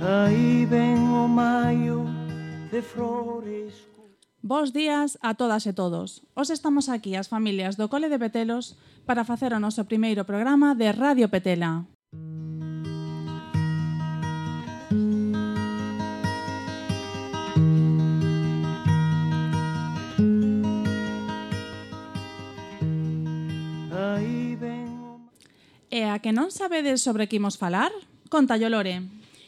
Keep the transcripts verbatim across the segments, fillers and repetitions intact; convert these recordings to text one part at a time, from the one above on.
Aí ven o maio de flores. Bos días a todas e todos. Os estamos aquí as familias do Cole de Petelos para facer o noso primeiro programa de Radio Petela. E a que non sabedes sobre que imos falar? Contallo, Lore.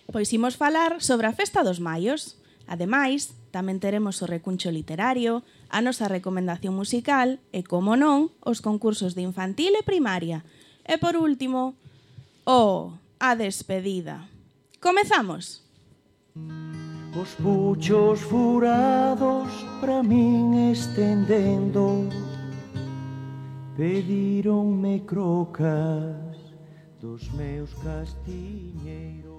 Pois imos falar sobre a Festa dos Maios. Ademais, tamén teremos o recuncho literario, a nosa recomendación musical e, como non, os concursos de infantil e primaria. E, por último, oh, a despedida. Comezamos! Os puchos furados pra min estendendo pedironme crocas dos meus castiñeiros.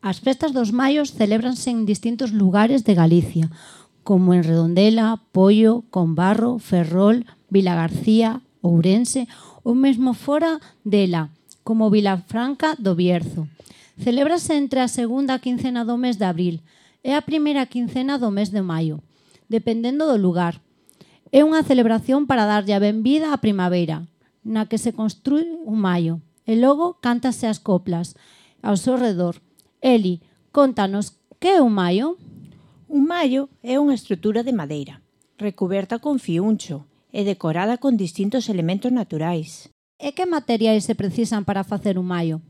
As festas dos maios celébranse en distintos lugares de Galicia, como en Redondela, Poio, Combarro, Ferrol, Vilagarcía, Ourense ou mesmo fora dela, como Vilafranca do Bierzo. Celébrase entre a segunda quincena do mes de abril e a primeira quincena do mes de maio, dependendo do lugar. É unha celebración para darlle a benvida á primavera, na que se construi un maio, e logo cántase as coplas ao seu redor. Eli, contanos, que é un maio? Un maio é unha estrutura de madeira, recuberta con fiúncho e decorada con distintos elementos naturais. E que materiais se precisan para facer un maio?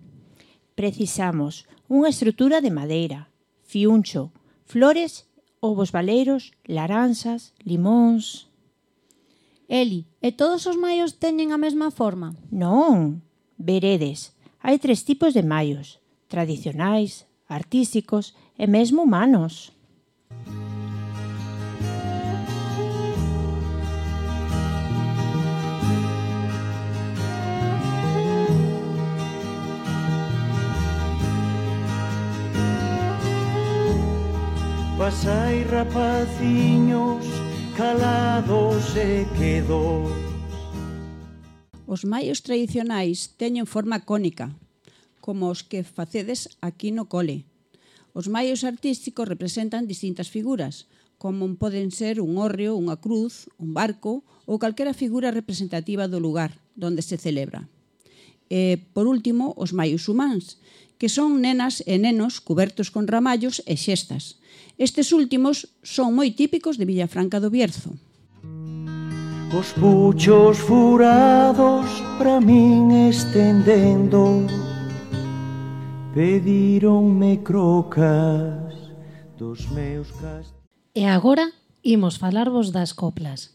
Precisamos unha estrutura de madeira, fiúncho, flores, ovos baleiros, laranxas, limóns... Eli, e todos os maios teñen a mesma forma? Non, veredes, hai tres tipos de maios, tradicionais, artísticos e mesmo humanos. Pasai rapaciños calados e quedos. Os maios tradicionais teñen forma cónica, como os que facedes aquí no cole. Os maios artísticos representan distintas figuras, como poden ser un hórreo, unha cruz, un barco ou calquera figura representativa do lugar donde se celebra. E, por último, os maios humáns, que son nenas e nenos cubertos con ramallos e xestas. Estes últimos son moi típicos de Vilafranca do Bierzo. Os puchos furados pra min estendendo pedironme crocas dos meus castigos. E agora imos falarvos das coplas.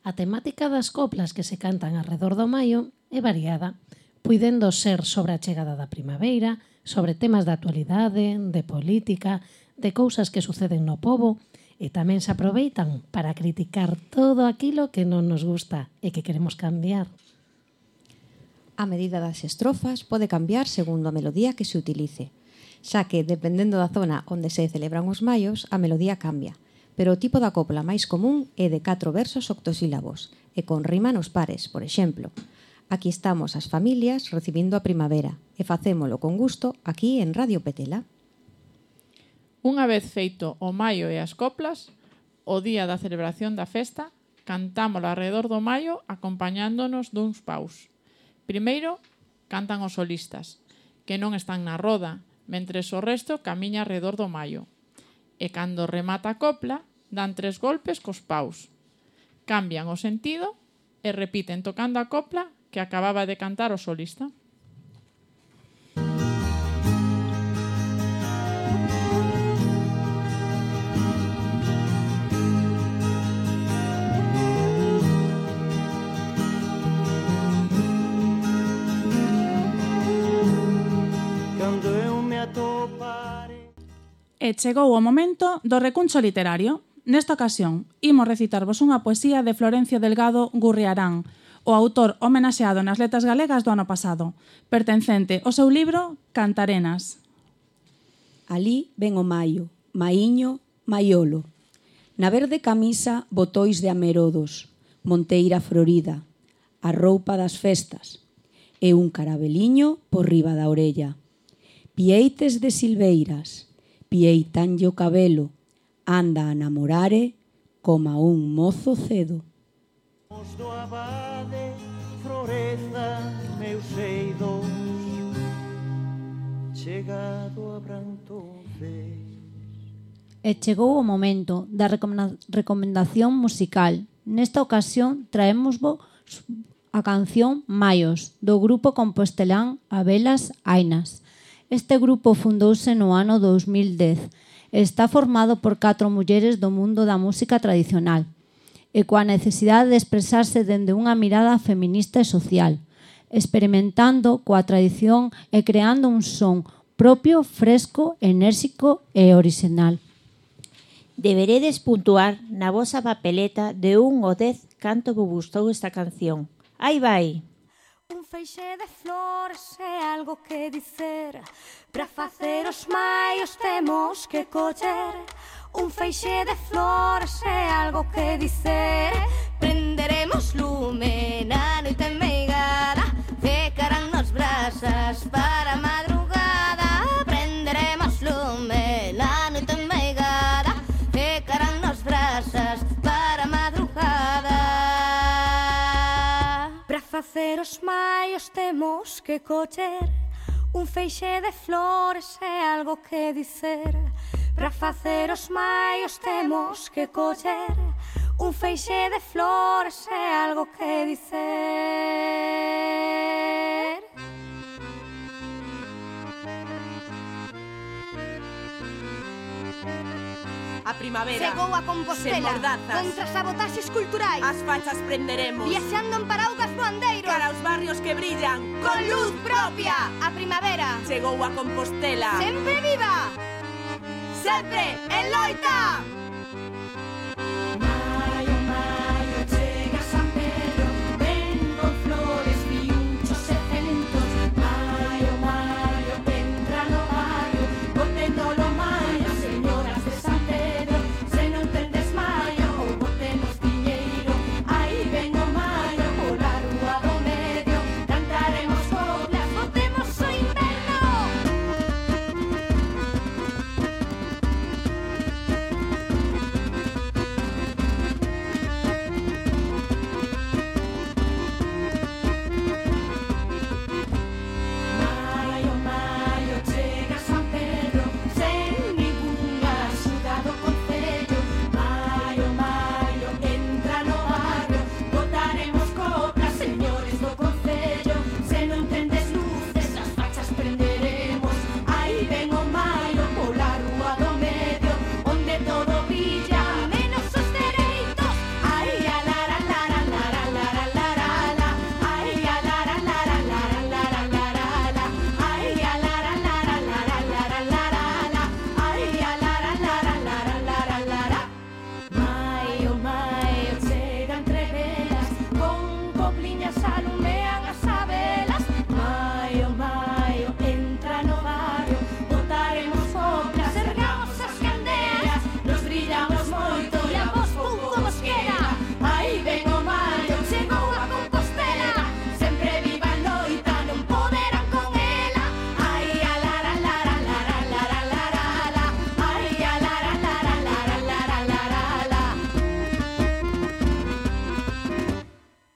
A temática das coplas que se cantan arredor do maio é variada, puidendo ser sobre a chegada da primavera, sobre temas de actualidade, de política, de cousas que suceden no pobo, e tamén se aproveitan para criticar todo aquilo que non nos gusta e que queremos cambiar. A medida das estrofas pode cambiar segundo a melodía que se utilice, xa que, dependendo da zona onde se celebran os maios, a melodía cambia, pero o tipo da copla máis común é de catro versos octosílabos e con rima nos pares, por exemplo. Aquí estamos as familias recibindo a primavera e facémolo con gusto aquí en Radio Petela. Unha vez feito o maio e as coplas, o día da celebración da festa, cantámolo alrededor do maio acompañándonos duns paus. Primeiro, cantan os solistas, que non están na roda, mentres o resto camiña alrededor do maio. E cando remata a copla, dan tres golpes cos paus. Cambian o sentido e repiten tocando a copla que acababa de cantar o solista. E chegou o momento do recuncho literario. Nesta ocasión, imos recitarvos unha poesía de Florencio Delgado Gurriarán, o autor homenaxeado nas letras galegas do ano pasado, pertencente ao seu libro Cantarenas. Alí ven o maio, maiño, maiolo. Na verde camisa, botois de amerodos, monteira florida, a roupa das festas, e un carabeliño por riba da orella. Pieites de silveiras, pieitanlle o cabelo, anda a namorare coma un mozo cedo. Os do abade floreza meus eidos, chegado a brantonces. E chegou o momento da recomenda- recomendación musical. Nesta ocasión traémosvos a canción Maios, do grupo compostelán Abelas Ainas. Este grupo fundouse no ano dos mil dez e está formado por catro mulleres do mundo da música tradicional e coa necesidade de expresarse dende unha mirada feminista e social, experimentando coa tradición e creando un son propio, fresco, enérxico e original. Deberedes puntuar na vosa papeleta de un ao dez canto vos gustou esta canción. Aí vai! Un feixe de flores é algo que dicer. Para facer os maios temos que coller. Un feixe de flores é algo que dicer. Prenderemos lume na noite meigada, ficarán nos brasas para a madrugada. Prenderemos lume na noite meigada, ficarán nos brasas para a madrugada. Para facer os maios temos que coller. Un feixe de flores é algo que dicer. Para facer os maios temos que coller. Un feixe de flores é algo que dicer. A primavera Chegou a Compostela, sen mordazas, contra sabotaxes culturais. as fachas prenderemos, Viaxando en paraugas voandeiros, cara aos barrios que brillan con luz propia. A primavera Chegou a Compostela, sempre viva, sempre en loita. Maio, maio, chega San Pedro, ven con flores, piunchos e centos. Maio, maio, entra no barrio, boténdolo maio, señoras de San Pedro. Se non tendes maio, ou botenos diñeiro, aí ven o maio, pola rúa do medio, cantaremos coplas, Botemos o inverno. Maio, maio, chega San Pedro, sen ningunha axuda do concello. Maio, maio, entra no barrio, botaremos coplas, señores do concello. Se non tendes luces, as fachas prenderemos, aí ven o maio, pola rúa do medio, onde todo brilla, Menos os dereitos. ai, a lara, lara, lara, lara, lara, la. Ai, a lara, lara, lara, lara, lara, la. Ai, a lara, lara, lara, lara, lara, la. Ai, a lara, lara, lara, lara, lara. Maio, maio, chega entre velas, con copliñas alumean as abelas. Maio, maio, entra no barrio, botaremos coplas, Ergamos as candeas, nos brillamos moito e a vos pum como os quera. aí ven o maio, Chegou a Compostela, sempre viva a loita, non poderán con ela. ai, a lara, lara, lara, lara, lara, la. Ai, a lara, lara, lara, lara, lara, la.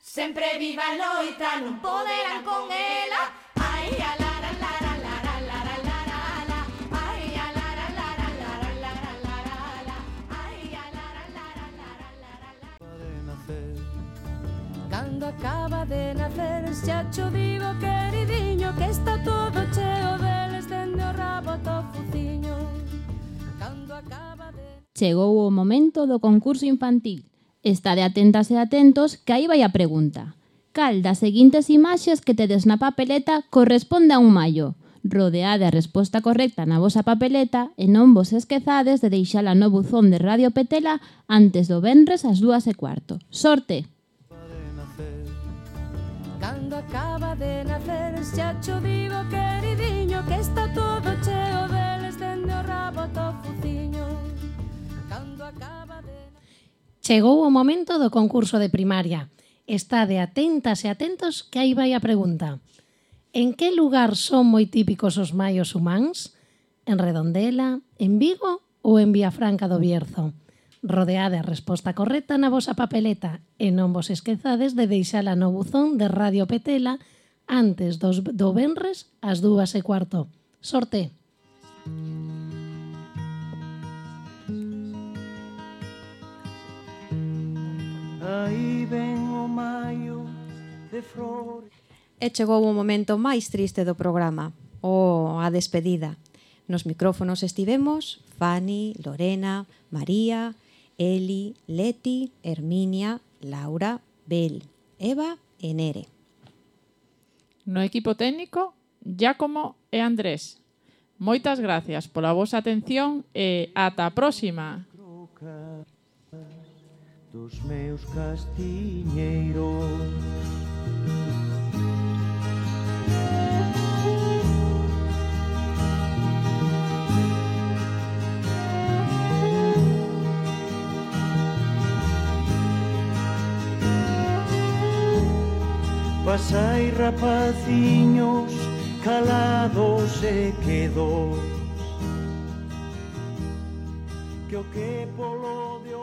Sempre viva a loita, non poderán con ela. Ai, a lara, lara, lara, lara, lara, la. Ai, a lara, lara, lara, lara, lara, la. Ai, a lara, lara, lara, lara, lara. Cando acaba de nacer, xa cho digo, queridiño, que está todo cheo deles dende o rabo ata o fuciño. Cando acaba de... Chegou o momento do concurso infantil. Estade atentas e atentos que aí vai a pregunta. Cal das seguintes imaxes que tedes na papeleta corresponde a un maio? Rodeade a resposta correcta na vosa papeleta e non vos esquezades de deixala no buzón de Radio Petela antes do venres ás dúas e cuarto. Sorte! Cando acaba de nacer, xa cho digo, queridiño, que está todo cheo deles dende o rabo ata o fuciño. Cando acaba de... Chegou o momento do concurso de primaria. Estade atentas e atentos que aí vai a pregunta. En que lugar son moi típicos os maios humáns? En Redondela, en Vigo ou en Viafranca do Bierzo? Rodeade a resposta correcta na vosa papeleta e non vos esquezades de deixala no buzón de Radio Petela antes dos, do venres ás dúas e cuarto. Sorte! Aí ven o maio de flores. E chegou o momento máis triste do programa, o a despedida. Nos micrófonos estivemos Fanny, Lorena, María, Eli, Leti, Herminia, Laura, Bel, Eva e Nere. No equipo técnico, Giacomo e Andrés. Moitas gracias pola vosa atención e ata a próxima. Dos meus castiñeiros. Pasai rapaciños calados e quedos, que o que polo de